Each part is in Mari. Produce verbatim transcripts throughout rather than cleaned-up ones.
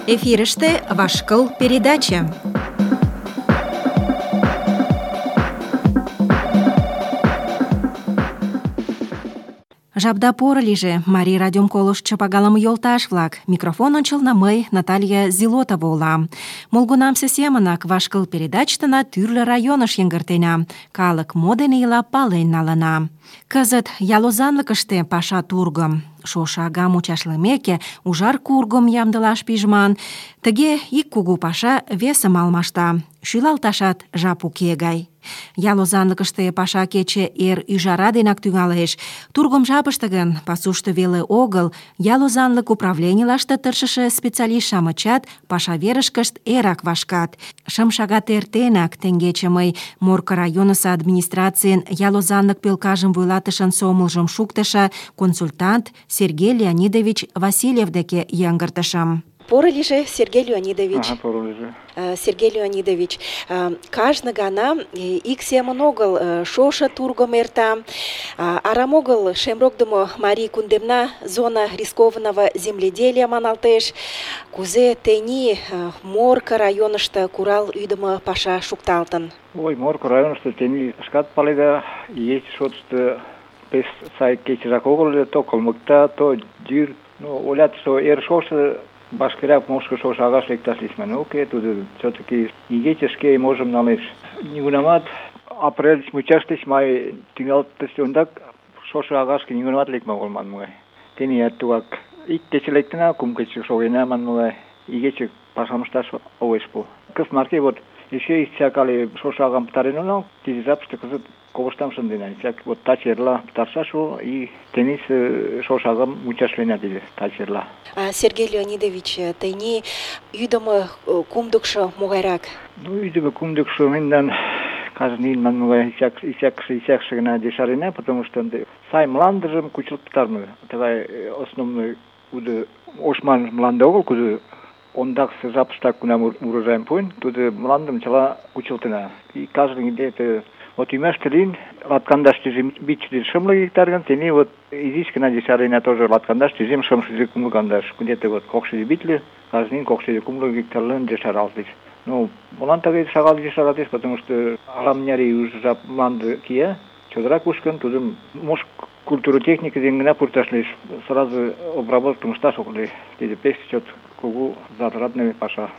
Эфирыште «Вашкыл» передача. Жапда поро лийже, Марий радиом колыштшо пагалыме йолташ-влак. Микрофон ончылно мый, Наталья Зилотова улам. Молгунамсе семынак «Вашкыл» передачтына тӱрлӧ районыш йыҥгыртена. Калык мо дене ила, пален налына. Кызыт ял озанлыкыште паша тургым. Шошо ага мучашлымеке, ужар кургым ямдылаш пижман. Тыге ик кугу паша весым алмашта. Шӱлалташат жап уке гай. Ял озанлыкыште паша кече эр ӱжара денак тӱҥалеш. Тургым жапыште гын, пасушто веле огыл, ял озанлык управленийлаште тыршыше специалист-шамычат паша верышкышт эрак вашкат. Шым шагат эртенак теҥгече мый Морко районысо администрацийын ял озанлык пӧлкажым вуйлатышын сомылжым шуктышо консультант Сергей Леонидович Васильев деке йыҥгыртышым. Поро лийже, Сергей Леонидович. Ага, поро лийже. Сергей Леонидович, кажне гана ик семын огыл шошо тургым эрта, арам огыл шемрокдымо Марий кундемна зона рискованного земледелия маналтеш. Кузе тений Морко районышто курал ӱдымӧ паша шукталтын? Ой, Морко районышто тений шкат паледа, ече шотышто пеш сай кечыжак огыл ыле, то кылмыкта, то йӱр. Ну, олят, что эр шошо башкырак мошко шошо агаш лекташ лийман. Уке, тудо все-таки игече шке можым налеш. Нигунамат апрель мучаште май тӱҥалтыш ондак шошо агашке нигунамат лекме огыл манмыла. Теният тугак ик кече лектына, кум кече шогена манмыла. Игече пашам ышташ огеш пу. Кызыт марке вот эше исчак але шошо агам пытарен онал, тиде жапыште кызыт ковыштам шындена. Исчак вот таче эрла пытарышаш уло, и тенис шошо агам мучашлена тиде таче эрла. Сергей Леонидович, тений ӱдымӧ кумдыкшо могайрак? Ну, ӱдымӧ кумдыкшо мемнан кажне ийын манмыла исчакше исчакше исчакше гына ешарена, потому что ынде сай мландыжым кучылт пытарыме. Тыгай основной кудо ошман мланде огыл, кудо ондаксе жапыштак кунам урожайым пуэн, тудо мландым чыла кучылтына. И каждый где-то вот ӱмаште лийын латкандаш тӱжем вич шымле гектар гын, тений вот изиш гына ешарена тоже латкандаш тӱжем шымшӱдӧ кумло кандаш. Где-то вот кокшӱдӧ витле, каждый ийын кокшӱдӧ кумло гектарлан ешаралтеш. Ну, молан тыге шагал ешаратеш, потому что ала-мыняр ий уже жап мланде кия, чодыра кушкын, тудым мош культура техника дене гына пурташ лиеш, сразу обработкым ышташ ок лий. Тиде пеш чот кугу затратный паша.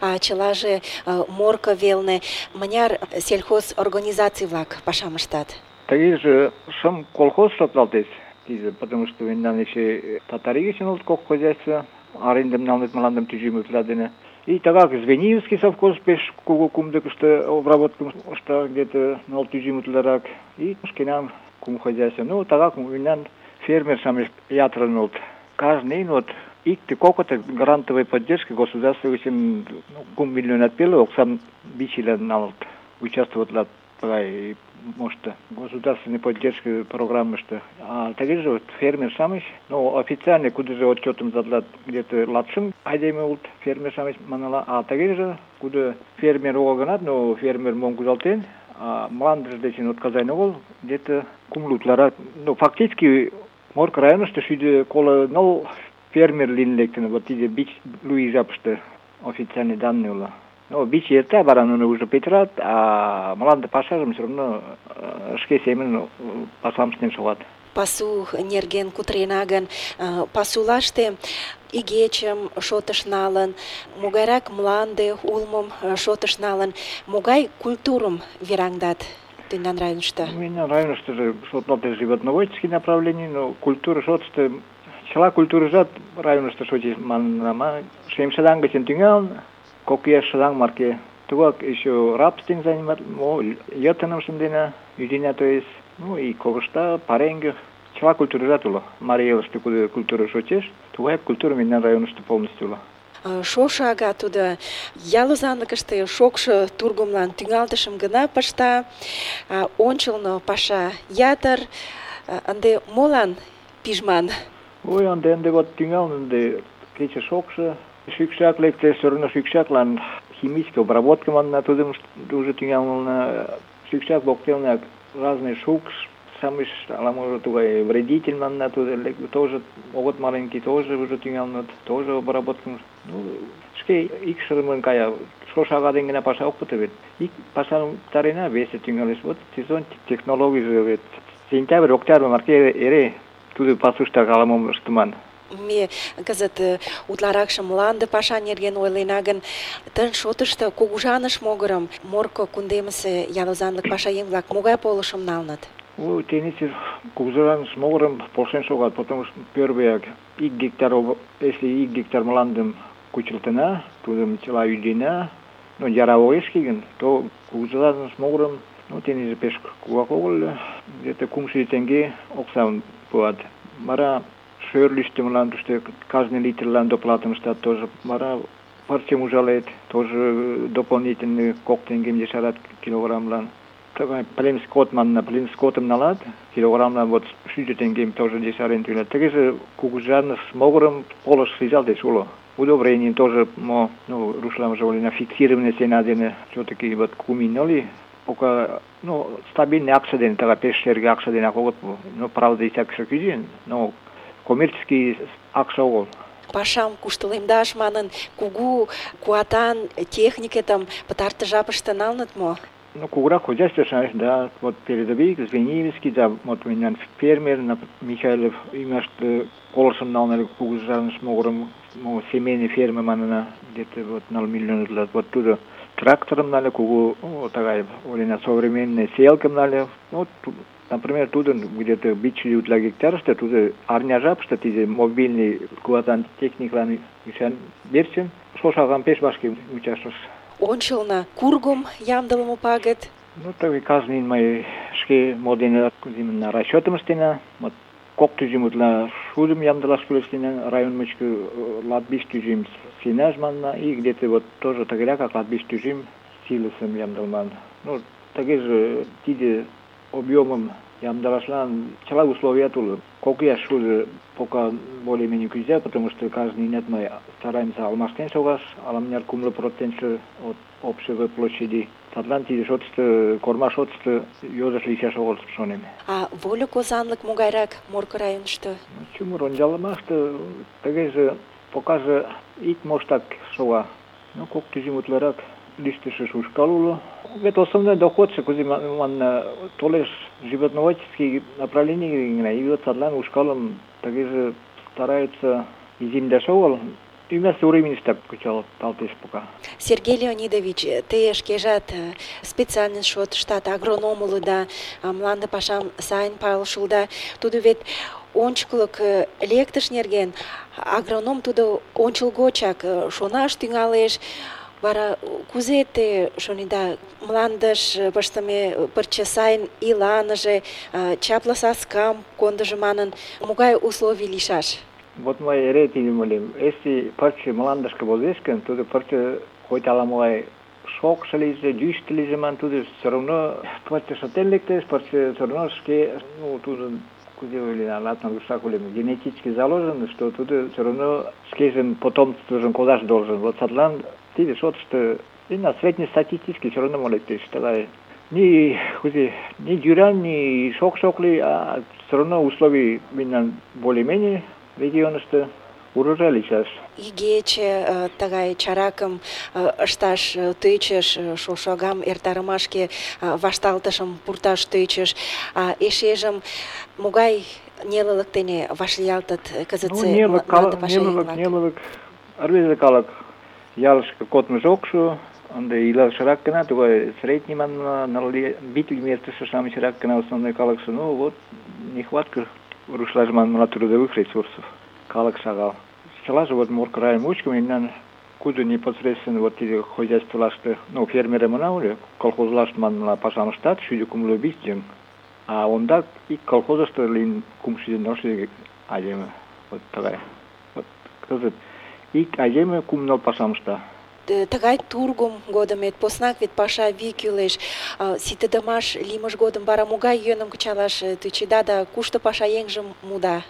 А чылаже Морко велне мыняр сельхоз организаций-влак пашам ыштат? Тыгеже шым колхоз шотлалтеш, тиде, потому что мемнан эше татаригечен улыт кок хозяйство, арендым налыныт мландым тӱжем утла дене. И тыгак Звенигорский совхоз пеш кугу кумдыкышто обработкым ышта, где-то ныл тӱжем утларак. И шкенан кум хозяйство. Ну, тыгак мемнан фермер-шамыч ятырын улыт. Каждый ийын вот икте кокыты грантовой поддержки государства үчүн кум миллионат пеле оксам бичилер налыт. Участвоватлар тыгай мошто государственной поддержки программышты. А тагеже вот фермер шамыч, ну, официально кудыже отчетым задлат где-то латшым айдеме улт фермер шамыч манала, а тагеже куды фермер огынат, но фермер мон кузалтен, а мландыж дечен отказайн огыл, где-то кумлутлара. Ну, фактически Морко районышто шӱдӧ коло ныл фермер лийын лектын, вот тиде бич луи жапыште официальный данный уло. Ну, бич эрта, вара нуно уже петырат, а мланде пашажым все равно шке семын пашам ыштен шогат. Пасу нерген кутырена гын, пасулаште игечым шотыш налын, могайрак мланде улмым шотыш налын, могай культурым вераҥдат тендан районышто? Мемнан районыштыже шотлалтеш животноводческий направление, но культура шотышто чыла культурыжат районышто шочеш манынама. Шемшыдаҥ гычын тӱҥалын, кок ияш шыдаҥ марке. Тугак еще рабствен занимат, мо йытыным шындена, ӱдена, то есть, ну и ковышта, пареҥге, чыла культурыжат уло. Марий элыште кузе культура шочеш, тугай культура мемнан районышто полностью уло. Шошо ага тудо ял озанлыкыште шокшо тургымлан тӱҥалтышым гына пышта, ончылно паша ятыр, ынде молан пижман? Ой, ынде ынде вот тӱҥалын, ынде кече шокшо, шӱкшак лекте, все равно шӱкшаклан химическая обработка манна, тудым уже тӱҥалына. Шӱкшак воктелнак разный шукш, самый ала-может тугай вредитель манна, тоже огот маленький, тоже уже тӱҥалыныт, тоже обработкым. Ну, шке икшырымын кая, шошага ден гына паша ок пыте вет. Ик пашам тарена, весе тӱҥалеш. Вот сезон технологийже вет сентябрь, октябрь марте эре тудо пасуштак ала-мом ыштыман. Ме кызыт утларакше мланде паша нерген ойлена гын, тын шотышто кугыжаныш могырым Морко кундемысе ял озанлык пашаеҥ-влак могай полышым налыныт? Ой, теnisir кугыжаныш могырым полшен шогат, потому что первый ик гектар, если ик гектар мландым кучылтына, тудым чыла ӱдена, но яра огеш киген, то кугыжаныш могырым, ну, теnisir пеш кугак огыл, где-то кумшӱдӧ теҥге оксам пуат. Вара шӧрлыштымлан тушто каждый литрлан доплатым ыштат тоже. Вара пырчым ужалет, тоже дополнительный кок теҥгем ешарат килограммлан. Тыгай плен скот манна, плен скотым налат, килограммлан вот шӱдӧ теҥгем тоже ешарен тӱлат. Тыгеже кугыжаныш могырым полыш шижалтеш уло. Удобрение тоже, мо, ну, рушлам же олена фиксированный цена дене, все-таки вот кум ноли, пока, ну, стабильный акция дене, тага пеш шерге акция дене огот, ну, правда, и всякий кӱзен, но коммерческий акция огыл. Пашам куштылемдаш манын, кугу куатан техникетым пытартыш жапыште налыныт мо? Ну, кугурак хозяйство, да, вот передовик, Звенигинский, да, вот у меня фермер, Михайлов, имашты полосом налнали кугыжаныш могырым, ну, семейные фермы манына, где-то вот ноль миллионов лет, вот туда трактором нали, кугу, ну, такая, олена современная селкам нали, вот, например, туда где-то бичили для гектарста, туда арня жапышта, тиде мобильный куатан техниклан ишан берсен, шошаган пеш башки участвовал. Ончылно кургым ямдылыме пагыт. Ну, так каждый мой шке моден на расчетом стена, вот кок тӱжем утла шудым ямдылаш кӱлеш район мучко латвич тӱжем сенаж манна, и где-то вот тоже тыгерак, как латвич тӱжем силысым ямдылман. Ну, тыгеже тиде объемым ямдылашлан чыла условия уло. Кок ияш шуды пока более-менее күзя, потому что каждый нет мы стараемся алмаштен шогаш, аламняр кумлы процентши от общей площади. Садлан тиде шотышты, корма шотышты йодыш лийшаш огыл шонем. А вольык озанлык могайрак Морко районышто? Чумыр ончалымашты, тыгеже покаже ик моштак шога. Ну, кок тӱжем утларак листыше ушкал уло. Вет основной доход, кузи манна толеш животноводческий направление, и вот садлан ушкалом тыгеже стараются иземдаш огыл. Вместо времени так кучал талтеш пока. Сергей Леонидович, те шкежат специальный шот штат агроном улыда, мланде пашам сайын пайлышылда. Тудо вет ончыклык лектыш нерген, агроном тудо ончылгочак шонаш тӱҥалеш. Вара кузе те шонида, мландыш пыштыме пырче сайын иланыже, чапле саскам кондыжо манын, могай условий лийшаш? Вот мой эре тидым ойлем. Если пырче мландышке возеш гын, тудо пырче хоть ала-могай шокшо лийже, йӱштӧ лийже ман, тудо все равно пырче шытен лектеш, пырче все равно шке, ну, тудо кузе ойлена, латна душа ойлем, генетически заложено, что тудо все равно шкежын потомствыжым кодаш должен. Вот садлан тиде шотышто и на среднестатистически все равно лектеш. Тыгай ни кузе, ни дюран, ни шок-шок ли, а все равно условий минан более-менее регионышто урожай лийшаш. Игече тыгай чаракым ышташ тӧчыш, шошагам эртарымашке вашталтышым пурташ тӧчыш, а эшежым могай нелылык дене вашлиялтыт кызытсе мланде пашаеҥ-влак? Нелылык, рвезе калык ялышке кодмыжо ок шу, ынде илалшырак гына, тугай средний манна, битвым эртыше-шамычрак гына основной калыкше, ну вот нехватка рушлаж манна трудовых ресурсов. Калык шагал. Чылаже вот Морко район мучко мемнан кудо непосредственно вот эти хозяйстволашты, ну, фермеры мына уле, колхозлашты манна пашам ыштат, шӱдӧ кумло вич еҥ. А ондак ик колхозышто лийын кумшӱдӧ нылшӱдӧ айдеме. Вот тыгай. Вот кызыт ик айдеме кум ныл пашам ышта. Тыгай тургым годым вет поснак вет паша вий кӱлеш. Ситыдымаш лиймыж годым вара могай йӧным кычалаш тӧчеда да кушто пашаеҥжым муда?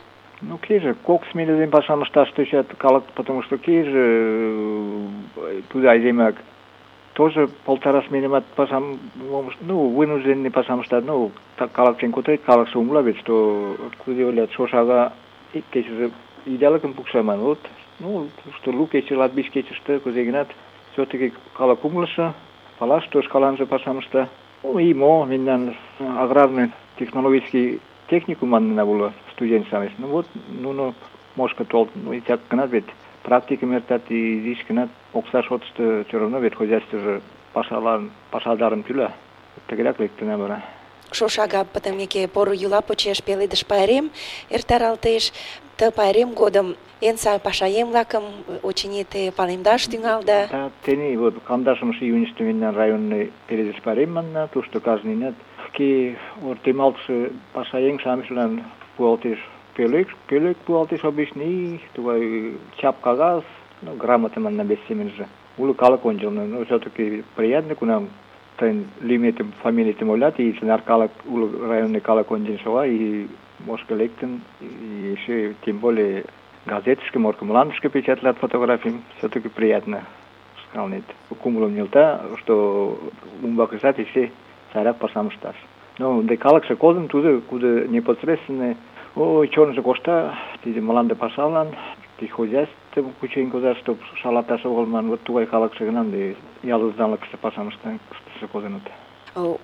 Ну, кейже кок смене дене пашам ышташ тӧчат калык, потому что кейже тудо айдемак тоже полтора сменимат пасам, ну, вынужденный пасам штат, ну, так калакчен кутырет, калаксы умла ведь, что куди олят шошага кечеже идеалыкым пукшаман, вот, ну, что лу кече, латбиш кечеште, кузе гынат, все-таки калак умлыша, палаш, то шкаланже пасам шта. Ну, и мо, мендан аграрный технологический техникум манна было студент самес. Ну вот, ну, ну, мошка толк, ну, и так гынат ведь, практика мертат и здесь гынат, окса шотышты все равно ведь хозяйство же пашаларын, пашалдарын тюля. Тегерак лектіне бара. Шошага пытымеке пору юла почеш пеледыш пайрем эртаралтеш, ты пайрем годым эн сай пашаем-влакым очыни те палемдаш тӱҥалда. Да, тени вот кандашымшы июньыште мендан районный пеледыш пайрем манна, тушто каждый нет. Ки ортемалтшы пашаеҥ-шамычлан пуалтеш пӧлек, пӧлек пуалтеш обычный, тугай чап кагаз, ну, грамота манна без семенже. Улы калык ончылно, но все-таки приятно, кунам тен лиметим, фамилиятым ойлат, и ценар калык, улы районный калык ончен шога, и мошка лектын, и еще тем более газетышке, морка мландышке печатлят фотографиям, все-таки приятно сказать. Кумулом нилта, что умбакысат и все сайрак пасам шташ. Но де калыкше кодын, туда, куда непосредственно, ой, чорныжы кошта, тиде мланде пасалан, ти хозяйство кучен козар, чтоб шалаташ оголман, вот тугай калыкше гынан, де ялызданлыкше пасам шташ кодынут.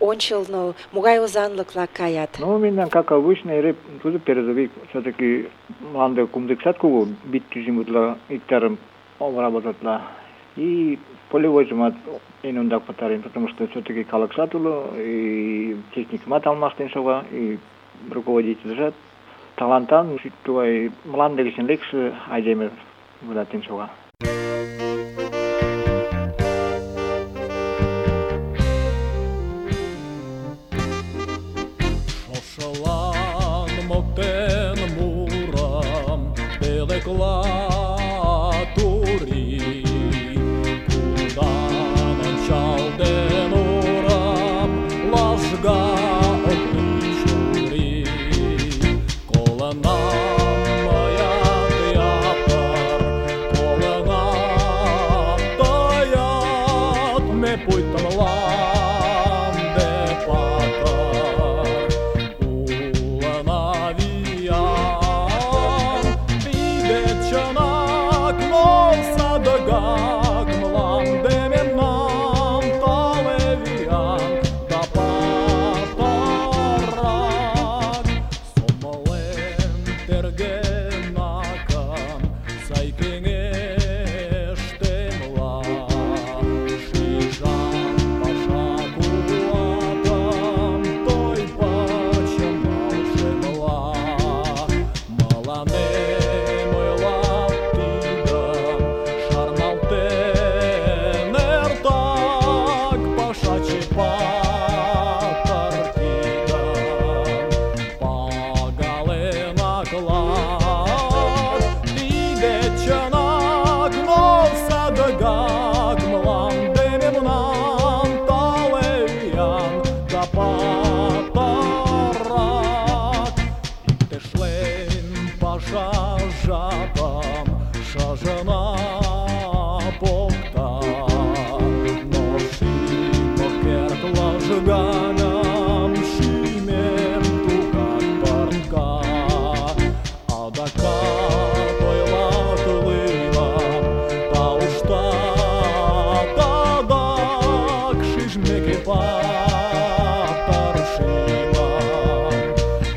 Ончылно могай озанлык-влак каят? Ну, мендан, как обычно, эре туда передовик, все-таки мланде кумдыксат кугу, бит тюзимутла, иктарым обработатла. И полевойжымат эн ондак пытарен, потому что все-таки калыксат уло, и техникымат алмаштен шога, и руководительжат талантан, тугай мланде гычын лекше айдеме вылатен шога.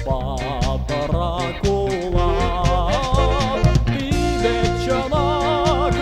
Патаракула, піде чанак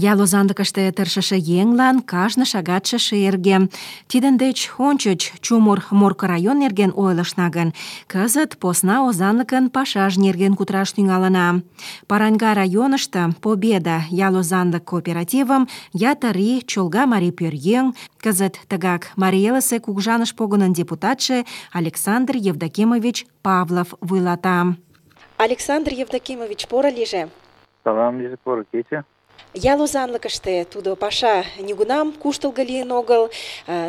Ял озанлыкыште тыршыше еҥлан кажне шагатше шерге. Тидын деч ончыч чумыр Морко район нерген ойлышна гын, кызыт посна озанлыкын пашаж нерген кутыраш тӱҥалына. Параньга районышто Победа ял озанлык кооперативым ятыр ий чолга марий пӧръеҥ, кызыт тыгак Марий Элысе кугыжаныш погынын депутатше Александр Евдокимович Павлов вуйлата. Александр Евдокимович, поро лийже. Салам лийже, поро кече. Ял озанлыкыште тудо паша нигунам куштылго лийын огыл.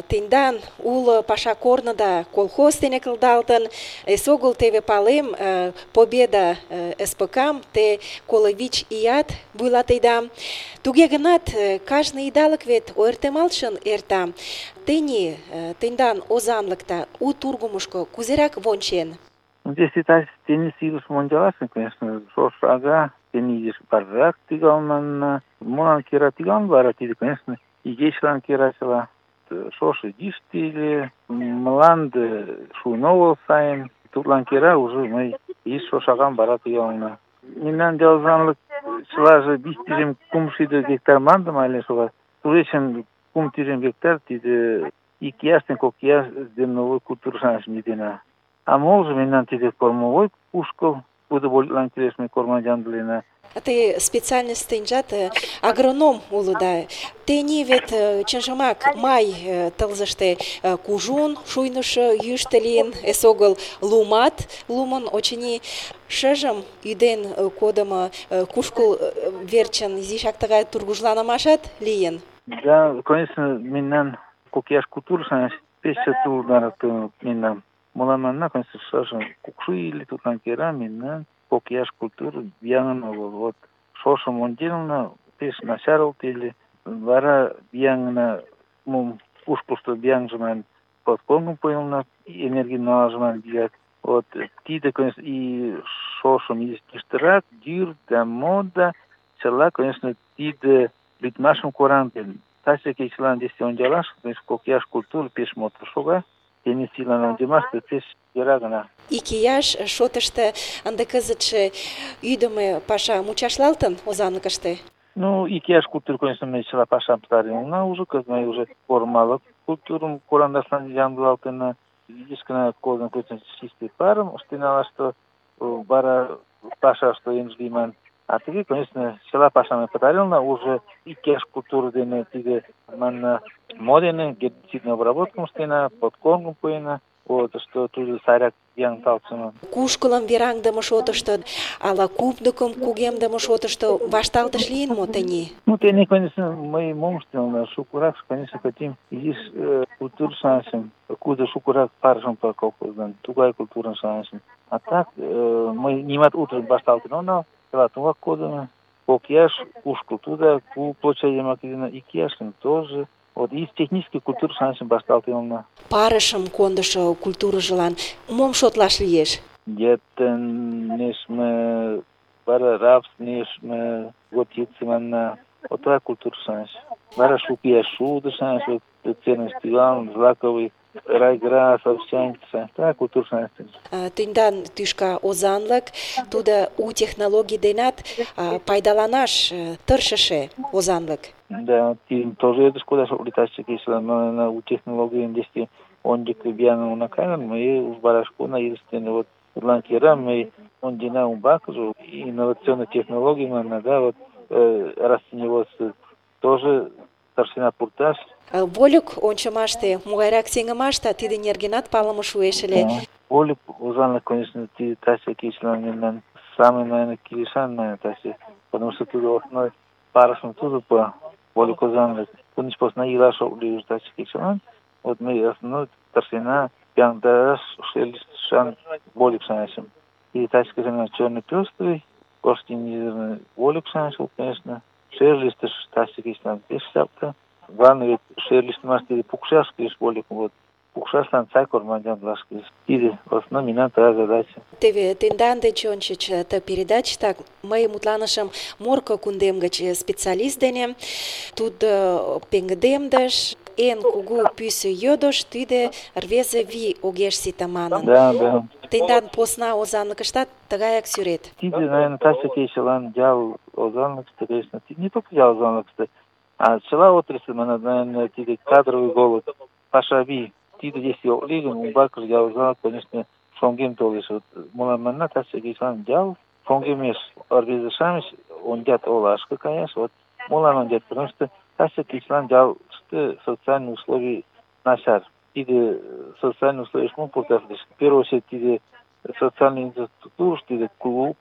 Тендан уло паша корныда колхоз дене кылдалтын. Эсогыл теве палем, Победа СПК-м те коло вич ият вуйлатеда. Туге гынат, кажне идалык вет ойыртемалтшын эрта. Тений тендан озанлыкта у тургумышко кузерак вончен? Здесь и так теннис илыш мончалашын, конечно, шош ага, теннис баррак тигалман, молан кера тиган бара, тиде, конечно, игечлан керачыла. Шошо диштили, мланды шуйновол сайын, тутлан кера уже мы из шошаган бара тигална. Минан делзанлык чылаже бис тижем кумшиде гектар мандым айлен шога. Туречен кум тижем гектар, тиде ик ястен кок яс демновой культуршаныш мидена. А молже минан тиде кормовой кушкыл, буду болитлан келешме кормажандлена. Те специальность тенжат агроном улыда. Тени вет чынжымак май тылзыште кужун, шуйнышы йӱштӧ лийын, эсогыл лумат, лумын очыни шыжым ӱден кодымо кушкыл верчын изишак тыгай тургыжланымашат лийын. Да, конечно, минан кокияш культуршаныш пеш чот улдарак минан. Молан манна, конечно, шыжым кукшу или тутлан кера минан кокияш культур бияңын огыл. Вот шошым онделна пеш начарыл теле. Вара бияңына мум кушкылышто бияңжыман подконгым пойылна, энергий налажыман бият. Вот тиде, конечно, и шошым естиштырак, дюр да мода, чыла, конечно, тиде литмашым корантен. Тасе кечылан десте онжалаш, конечно, кокияш культур пеш мотор шога. Тени силан онжемашты пеш йӧра гына. Икияш шотышто ынде кызытше ӱдымӧ паша мучашлалтын озанлыкыште? Ну, икияш культур, конечно, мы чыла пашам пытаренна уже, кыз мы уже формалык культурым корандашлан ямдылалтына. Изишкына кодын көчөн чистый парым ыштеналаш, что бара паша, что емжлиман. А теги, конечно, чыла пашам пытаренна уже икияш культур дене тиде манна модене гербицидный обработкам ыштена, подкормым пуэна. Вот, что тут сайрак яң талчыман. Кушкылым вераҥдыме шотышто, ала купдыкым кугемдыме шотышто вашталтыш лийын мо тений? Ну, тений, конечно, мы мом ыштелна, шукырак, конечно, хотим изиш культур шансым, куда шукырак парышым по колхоздан, тугай культурын шансым. А так, мы нимат утром вашталтын онал, тела тугак кодыме, кокияш, кушкыл туда, ку площадь макидина, икияшын тоже. Вот из технической культуры шансын башталтылна. Парышым кондышо культурыжылан мом шотлаш лиеш? Детен нешме, бара рапс нешме, готицы манна, отра культура шанс. Бара шукия шуды шанс, вот ценность Иван, злаковый, райгра, совсянца, та культура шанс. Тендан тӱшка озанлык, тудо у технологий денат пайдаланаш тыршыше озанлык. Да, тим тоже это шкода, что улетающие кисла, но на у технологии здесь он дикобиан на камеру, мы уж барашку на единственное вот ланкера, мы он дина убаку, инновационные технологии, мы да вот растениеводство тоже старшина пуртаж. Вольык ончымаште, могайрак сеҥымаште тиде нергенат палыме шуэш ыле. Вольык озанлык, конечно, ты таси кисла, самый, наверное, килишан, наверное, таси, потому что туда основной парашем туда по Вольык озанлык. Кунич посна илаша улиуш таси кисла. Вот мы основной старшина пяндаш шелистшан Вольык шаншим. И таси кисла черный пестрый, костинизированный Вольык шаншил, конечно. Шерлистыш таси кисла пешсапта. Главное ведь шерлист мастери пукшашкиш Вольык вот. Пукшашлан цай корманjanлашкиш. Тиде основной мина та задача. Теве тендан деч ончыч ты передачта мый мутланышым Морко кундем гыч специалист дене. Тудо пеҥгыдемдыш, эн кугу пӱсӧ йодыш тиде рвезе вий огеш сите манын. Да, да. Тендан посна озанлыкыштат тыгаяк сӱрет. Тиде, наверное, таче кечылан ял озанлыкыште, конечно, не только ял озанлыкыште, а чыла отрасль, наверное, тиде кадровый голод, паша вий. Тиде если ок лий гын, умбакыже ял озанлык, конечно, шоҥгем толеш. Вот мылам манна таче кечылан ял шоҥгемеш. Рвезе-шамыч ондят олашке каяш, вот молан ондят, потому что таче кечылан ялыште социальный условий начар. Тиде социальный условий шмон пурташ лиеш. В первую очередь, тиде социальный инфраструктура, тиде клуб,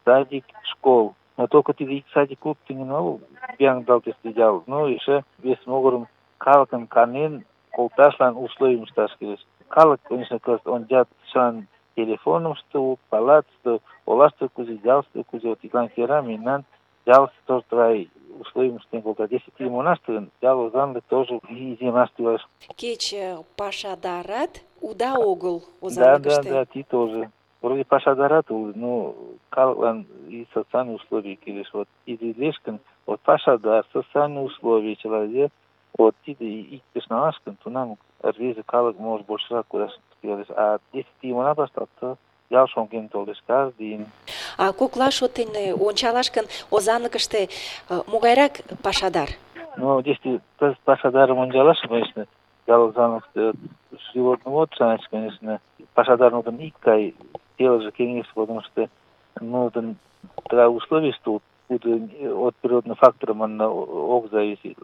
садик, школ. Но только тиде ик садик, клуб тыгын огыл, бияҥ далтесте ял. Но эше вес могырым калыкын канен колташлан условийым ышташ кӱлеш. Калык, конечно, кызыт ондят чылан телефонышто улыт, палатыште, олаште кузе, ялыште кузе. Вот тидлан кӧра мемнан ялыште тоже тыгай условийым ыштен колтат. Если тидым онаште гын, ял озанлык тоже иземаш тӱҥалеш. Кеч пашадарат уда огыл Да, да, озанлыкыште. да, ти тоже. Вроде пашадарат улыт, но калыклан и социальные условия кӱлеш. Вот тиде лиеш гын, вот пашадар, социальные условия человек, вот тиде иктыш налаш гын, тунам рвезе калык может большрак кудаш тӱҥалеш. А если тидым она пыштат, то ял шоҥген толеш каждый день. А коклаш отын ончалаш гын, озанлыкыште могайрак пашадар? Ну, если кызыт пашадарым ончалаш, конечно, ял озанлыкыште животновод, конечно, пашадар нужен икгай телыже кеңеш, потому что нужен тыгай условий, что от природных факторов манна ок зависит.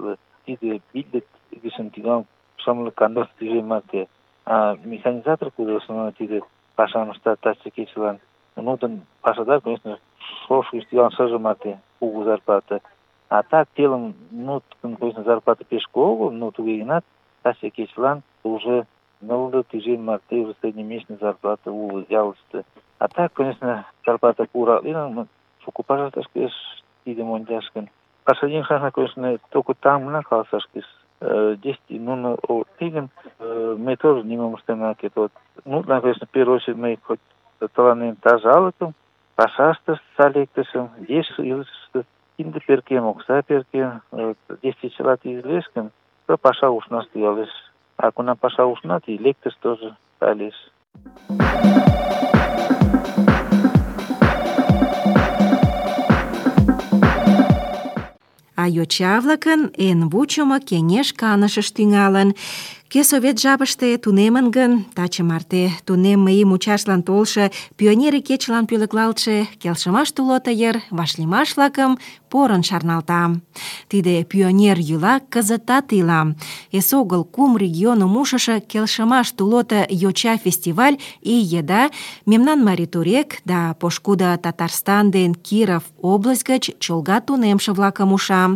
Тиде битлик гишин тиган шамлык кандас тижем марте. А механизатор кудосына тиде пашам ыштат таче кечылан. Нужен пашадар, конечно, шош тиган шыже марте кугу зарплата. А так телым, ну, конечно, зарплата пеш кугу, но туге гынат таче кечылан уже нылле тижем марте уже среднемесячный зарплата улыт ялыште. А так, конечно, зарплата пура лийын, шуко пашашташ кӱлеш тидым ончаш гын. Пашаеҥ шахна, конечно, только там гына каласаш кӱлеш. Если нуно тыгын, мы тоже нимом ыштен она керт. Вот, ну, конечно, в первую очередь мы хоть тыланен тазалыкым, пашаштышт салектышым, еш илышыште кинде перкен, окса перкен, если чыла тиде лиеш гын, то паша ушнаш тӱҥалеш. А кунам паша ушна, и лектыш тоже кайыш. А йоча-влакын эн вучымо кеҥеж канышышт тӱҥалын. Кӧ совет жапыште тунемын гын, таче марте тунемме ий мучашлан толшо пионер кечылан пӧлеклалтше келшымаш тулото йыр вашлиймаш-влакым порын шарналта. Тиде пионер йӱла кызытат ила. Эсогыл кум регионым ушышо келшымаш тулото йоча фестиваль ий еда мемнан Марий Турек да пошкудо Татарстан ден Киров область гыч чолга тунемше-влакым уша.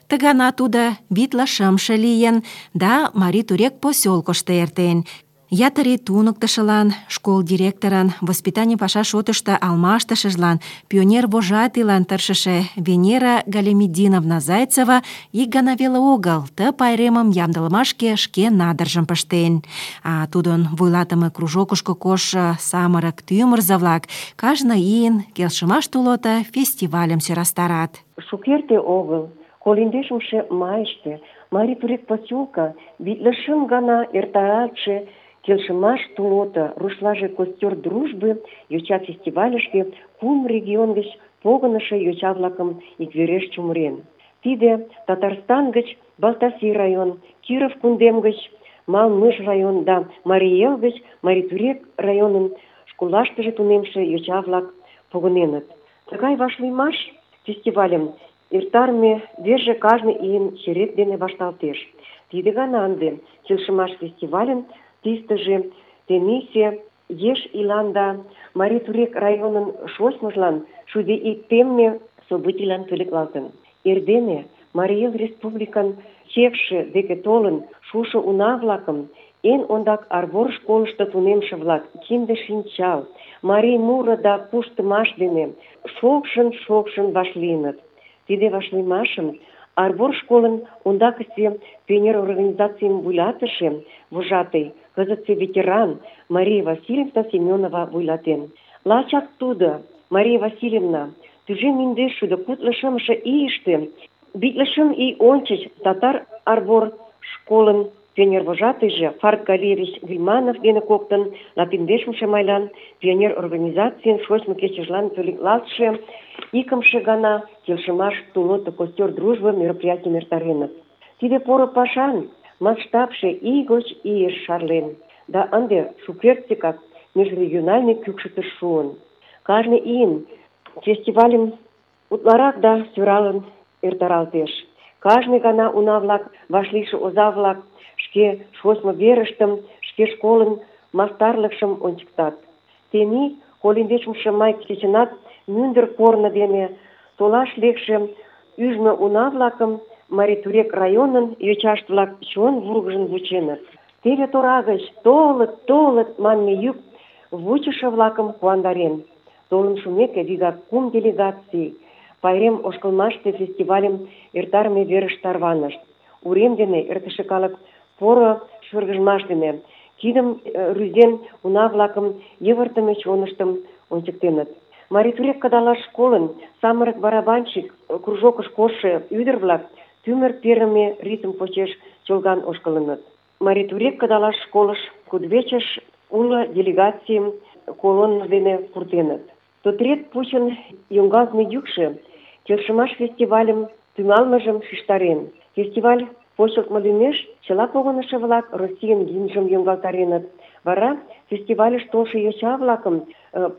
Ты гана тудо витле шымше лийын да Марий Турек посёлкышто эртен. Ятыре туныктышылан, школ директорын, воспитаний паша шотышто алмаштышыжлан, пионер вожатыйлан тыршыше Венера Галимединовна Зайцева ик гана веле огыл ты пайремым ямдылымашке шке надыржым пыштен. А тудын вуйлатыме кружокышко коштшо самырык тӱмырзӧ-влак кажне ийын келшымаш тулото фестивальым сӧрастарат. Шукерте огыл, колиндешымше майыште Марий Турек посёлка витле шым гана эртаратше келшымаш тулото, рушлаже костер дружбы йоча фестивальышке кум регион гыч погынышо йоча-влакым иквереш чумырен. Тиде Татарстан гыч Балтаси район, Киров кундем гыч Малмыж район да Марий Эл гыч Марий Турек районын школлаштыже тунемше йоча-влак погыненыт. Тыгай вашлиймаш фестивальым эртарыме верже кажне ийын черет дене вашталтеш. Тиде гана ынде келшымаш фестивальын тистыже тенийсе еш иланда Марий Турек районын шочмыжлан шуде ик темме событийлан пӧлеклалтын. Эрдене Марий Эл республикан чекше деке толын шушо уна-влакым эн ондак Арвор школышто тунемше-влак кинде шинчал, марий муро да куштымаш дене шокшын-шокшын вашлийыныт. Тиде вашлиймашым Арвор школын ондакысе пионер организацийым вуйлатыше, вожатый, кызытсе ветеран Мария Васильевна Семенова вуйлатен. Лачак тудо, Мария Васильевна, тӱжем индеш шӱдӧ кудло шымше ийыште, витле шым ий ончыч татар Арвор школын пионер-вожатыйже Фарт Галерьевич Вильманов дене коктын латиндешымше майлан пионер организацийын шочмо кечыжлан пӧлеклалтше икымше гана келшымаш тулото костер дружбы мероприятийым эртареныт. Тиде поро пашан масштабше ий гоч ийыш шарлен, да ынде шукертсекак межрегиональный кӱкшытыш шуын. Кажне ийын фестивальым утларак да сӧралын эртаралтеш. Кажне гана уна-влак, вашлийше оза-влак шке шочмо верыштым, шке школын мастарлыкшым ончыктат. Тений колиндешымше май кечынат мӱндыр корно дене толаш лекше ӱжмӧ уна-влакым Марий Турек районын йочашт-влак чон вургыжын вученыт. Теве тора гыч «толыт, толыт» манме йӱк вучышо-влакым куандарен. Толын шумеке, вигак кум делегаций пайрем ошкылмаште фестивальым эртарыме верыш тарванышт. Урем дене эртыше калык поро шыргыжмаш дене кидым рӱзен уна-влакым йывыртыме чоныштым ончыктеныт. Марий Турек кыдалаш школын самырык барабанщик кружокыш коштшо ӱдыр-влак тӱмыр перыме ритм почеш чолган ошкылыныт. Марий Турек кыдалаш школыш кудывечыш уло делегацийым колонна дене пуртеныт. Тотрет пучын йоҥгалтме йӱкшӧ келшымаш фестивальым тӱҥалмыжым шижтарен. Фестиваль почылтмо лӱмеш чыла погынышо-влак Российын гимнжым йоҥгалтареныт. Вара фестивальыш толшо йоча-влакым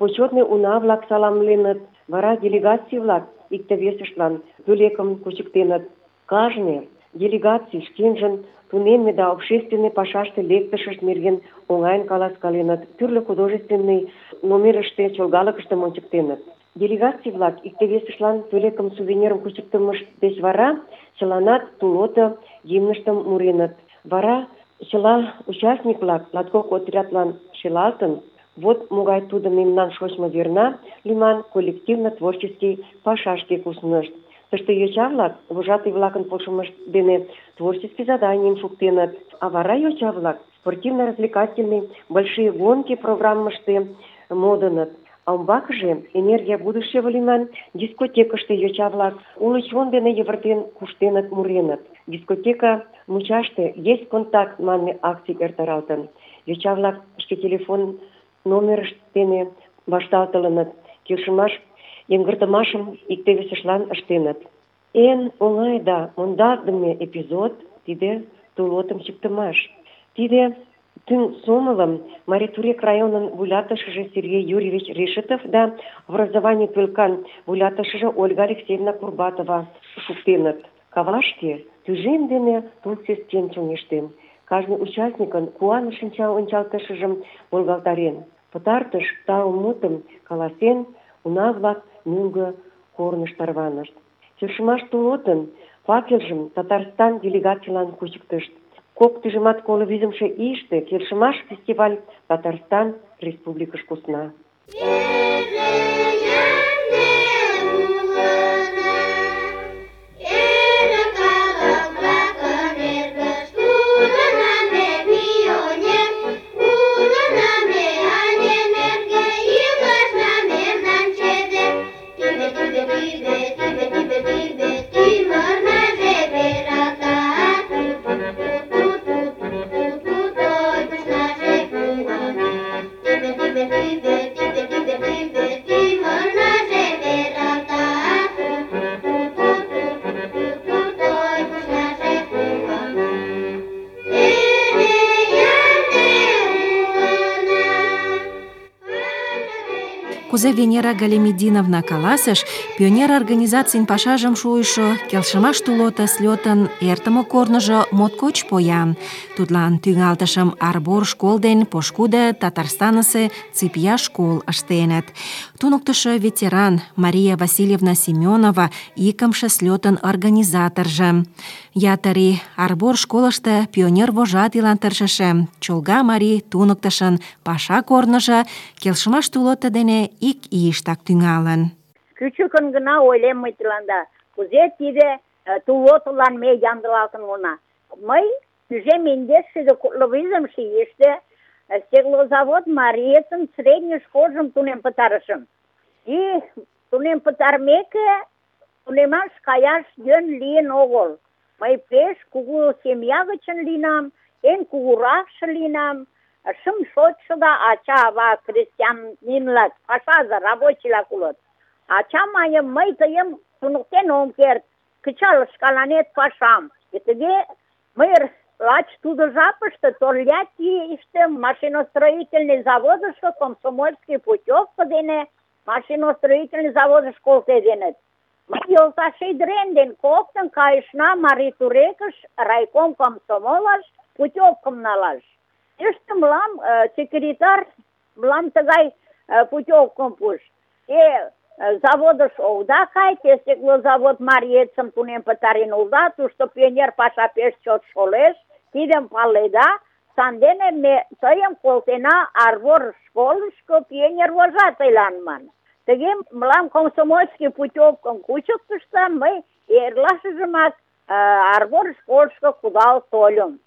почетный уна-влак саламленыт. Вара делегаций-влак икте-весыштлан пӧлекым кучыктеныт. Кажне делегаций шкенжын тунемме да общественный пашаште лектышышт нерген оҥайын каласкаленыт, тӱрлӧ художественный номерыште чолгалыкыштым ончыктеныт. Делегаций-влак икте-весыштлан пӧлекым, сувенирым кучыктымышт деч вара чыланат тулото гимныштым муреныт. Вара чыла участник-влак латкок отрядлан шелалтын, вот могай тудо мемнан шочмо верна лӱман коллективно-творческий пашашке куснышт. Тыште йоча-влак вожатый-влакын полшымышт дене творческий заданийым шуктеныт, а вара йоча-влак спортивно-развлекательный большие гонки программыште модыныт. А умбакыже «Энергия будущего» лӱман дискотекыште йоча-влак уло чон дене йывыртен куштеныт, муреныт. Дискотека мучаште «Есть контакт» манме акций эртаралтын. Йоча-влак шке телефон номерышт дене вашталтылыныт, келшымаш йыҥгыртымашым икте-весыштлан ыштеныт. Эн оҥай да мондалтдыме эпизод — тиде тулотым чӱктымаш. Тиде тӱҥ сомылым Марий Турек районын вуйлатышыже Сергей Юрьевич Решетов да образование пӧлкан вуйлатышыже Ольга Алексеевна Курбатова шуктеныт. Кавашке тӱжем дене тул сӧстен чоҥештен. Кажне участникын куаныш шинча ончалтышыжым волгалтарен. Пытартыш тау мутым каласен, уна-влак мӧҥгӧ корныш тарванышт. Келшымаш тулотын факелжым Татарстан делегацийлан кучыктышт. Кок тӱжемат коло визымше ийыште келшымаш фестиваль Татарстан республикыш кусна. Кузе Венера Галимединовна каласыш, пионер организацийын пашажым шуйышо келшымаш тулото слётын эртыме корныжо моткоч поян. Тудлан тӱҥалтышым Арбор школ ден пошкудо Татарстанысе Ципья школ ыштеныт. Туныктышо ветеран Мария Васильевна Семенова икымше слётын организаторжо. Ятыр ий Арбор школышто пионер вожатыйлан тыршыше чолга марий туныктышын паша корныжо келшымаш тулото дене ик ийыштак тӱҥалын. Кӱчыкын гына ойлем мый тыланда, кузе тиде тулотылан ме ямдылалтын улына. Мый тӱжем индеш шӱдӧ кудло визымше ийыште стеклозавод мариетын средний школжым тунем пытарышым. И тунем пытарымеке, тунемаш каяш йӧн лийын огыл. Мый пеш кугу семья гычын лийынам, эн кугуракше лийынам. Шым шочшо да ача-ава крестьянин-влак, пашазе, рабочий-влак улыт. Ача мане, мый тыйым туныктен ом керт, кычал шкаланет пашам. И тыге мый лач тудо жапыште Тольяттийыште машиностроительный заводышко комсомольский путёвка дене машиностроительный заводыш колтеденыт. Мый йолташ ӱдырем ден коктын кайышна Марий Турекыш райком комсомолыш путёвкым налаш. Тыште мылам секретарь мылам тыгай путёвкым пуыш. Те заводыш огыда кай, те стеклозавод мариетшым тунем пытарен улыда, тушто пионер паша пеш чот шолеш, тидым паледа, сандене ме тыйым колтена Арвор школышко пионер вожатыйлан ман. Тыге мылам комсомольский путёвкым кучыктышто, мый эрлашыжымак Арвор школышко кудал тольым.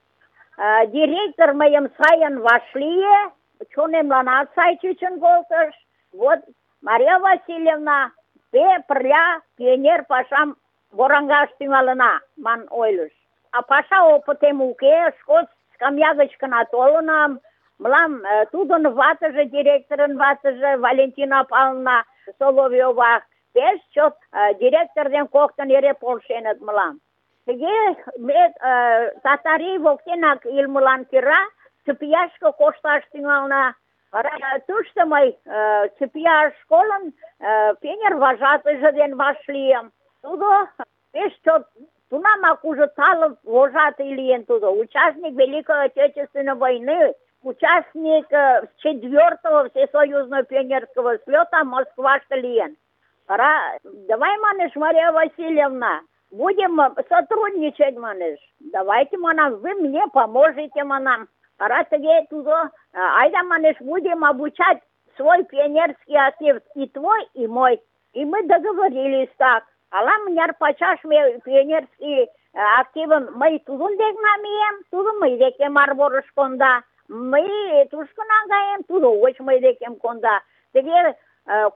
Директор мыйым сайын вашлие, чонемланат сай чучын колтыш. Вот Мария Васильевна, те пырля пионер пашам вораҥаш тӱҥалына, ман ойлыш. А паша опытем уке, школ скамья гыч гына толынам. Мылам тудын ватыже, директорын ватыже, Валентина Павловна Соловьёва, пеш чот директор ден коктын эре полшеныт мылам. Тыге ме Татарий воктенак илымылан кӧра Цыпияшке кошташ тӱҥална. Тушто мый Цыпияш школын пионер вожатыйже ден вашлийым. Тудо пеш чот тунамак уже тале вожатый лийын тудо. Участник Великой Отечественной войны, участник четвертого всесоюзного пионерского слета Москваште лийын. Пора, давай, манеш, Мария Васильевна, будем сотрудничать, манеш. Давайте, манам, вы мне поможете, манам. Пора тыге тудо, айда, манеш, будем обучать свой пионерский актив, и твой, и мой. И мы договорились так. Ала мыняр пачаш ме пионерский активым мый тудын дек намием, тудо мый декем Арворыш конда. Мый тушко наҥгаем, тудо уэш мый декем конда. Тыге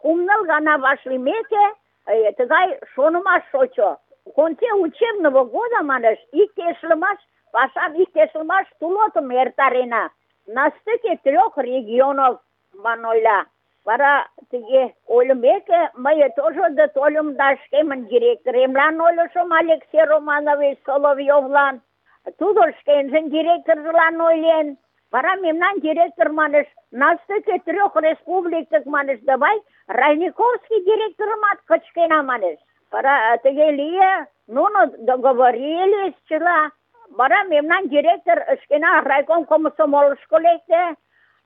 кум-ныл гана вашлиймеке, тыгай шонымаш шочо. В конце учебного года, манеш, иктешлымаш, пашам иктешлымаш тулотым эртарена. На стыке трех регионов, ман ойла. Вара тыге ойлымеке, мый тоже да тольым да шкемын директоремлан ойлышым Алексей Романович Соловьёвлан. Тудо шкенжын директоржылан ойлен. Вара мемнан директор, манеш, на стыке трех республик, манеш, давай Райниковский директорымат кычкена, манеш. Вара тыге лие, нуно договорились чыла. Вара мемнан директор шкена райком комсомолышко лекте.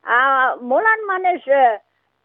А молан, манеш,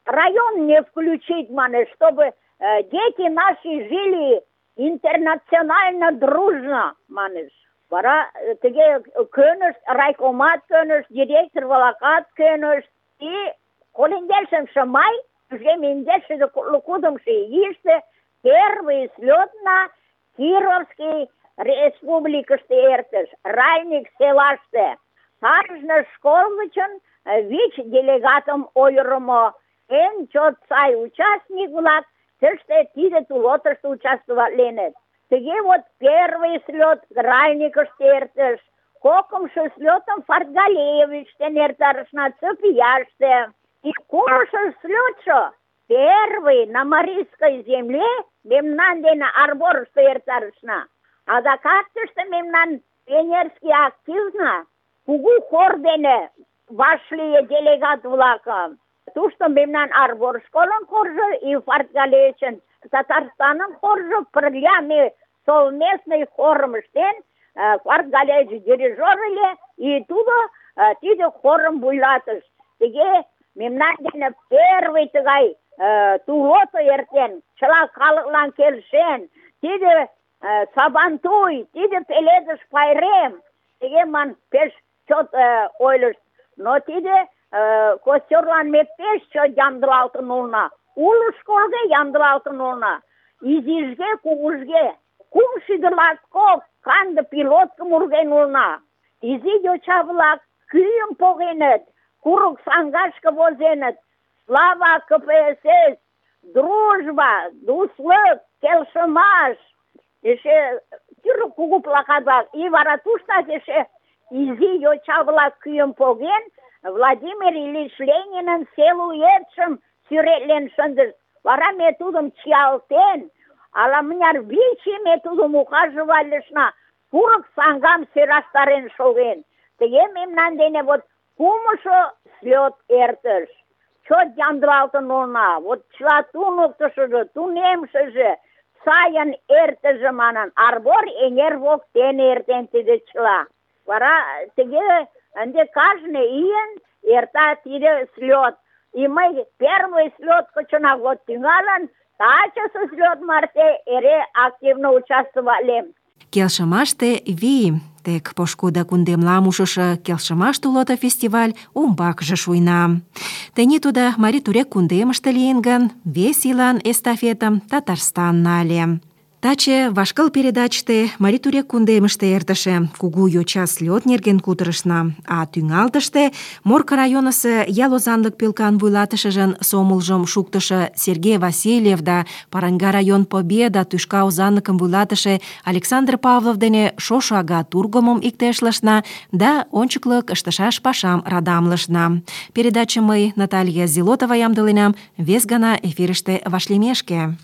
район не включить, манеш, чтобы э, дети наши жили интернационально дружно, манеш. Вара тыге көнышт, райкомат көнышт, директор волокат көнышт. И колиндешемше май, уже миндеши кудымши ийыште первый слет на Кировский республикыште эртыш, Райник селаште. Кажне школ гычын вич делегатым ойырымо. Эн чот сай участник-влак тыште тиде тулотышто участвоватленыт. Тыге вот первый слет Райникыште эртыш, кокымшо слетым Фартгалеевичте эртарышна Цыпияште. И кумшо слетшо первый на Марийской земле мемнан дене Арборышто эртарышна. Адакат тыште мемнан пионерский активна кугу хор дене вашлие делегат-влакым. Тушто мемнан Арбор школын хоржо и Фартгалеевичын Татарстанын хоржо пырля ме совместный хорым ыштен, Фартгалеевич дирижер ыле, и тудо тиде хорым вуйлатыш. Тыге мемнан дене первый тыгай тулото эртен, чыла калыклан келшен, тиде Сабантуй, тиде пеледыш пайрем, тыге ман пеш чот ойлышт. Но тиде костёрлан ме пеш чот ямдылалтын улына. Уло школге ямдылалтын улына. Изижге, кугужге. Кум шӱдӧ латкок канде пилоткым урген улына. Изи йоча-влак кӱым погеныт, курык саҥгашке возеныт. Слава КПСС, дружба, дуслык, келшымаш. эше тӱрлӧ кугу плакат-влак, и вара туштак эше изи йоча-влак кӱым поген, Владимир Ильич Ленинын силуэтшым сӱретлен шындыш. Вара ме тудым чиялтен, ала-мыняр вич ий ме тудым ухаживальышна, курык саҥгам сӧрастарен шоген. Тыге мемнан дене вот кумшо слёт эртыш. Чот ямдылалтын улына. Вот чыла туныктышыжо, тунемшыже сайын эртыже манын, Арбор эҥер воктене эртен тиде чыла. Вара тыге ынде кажне ийын эрта тиде слёт. И мый первый слёт гычынак вот тӱҥалын, тачысе слёт марте эре активно участвовалем. Келшымаште вий. Тек пошкудо кундемлам ушышо келшымаш тулото фестиваль умбакыже шуйна. Тений тудо Марий Турек кундемыште лийын гын, вес ийлан эстафетым Татарстан нале. Таче вашкыл передачте Марий Турек кундемыште эртыше кугу йоча слёт нерген кутырышна, а тӱҥалтыште Морко районысо ял озанлык пӧлкан вуйлатышыжын сомылжым шуктышо Сергей Васильев да Паранга район Победа тӱшка озанлыкым вуйлатыше Александр Павлов дене шошо ага тургымым иктешлышна да ончыклык ыштышаш пашам радамлышна. Передачым мый, Наталья Зилотова, ямдыленам. Вес гана эфирыште вашлиймешке.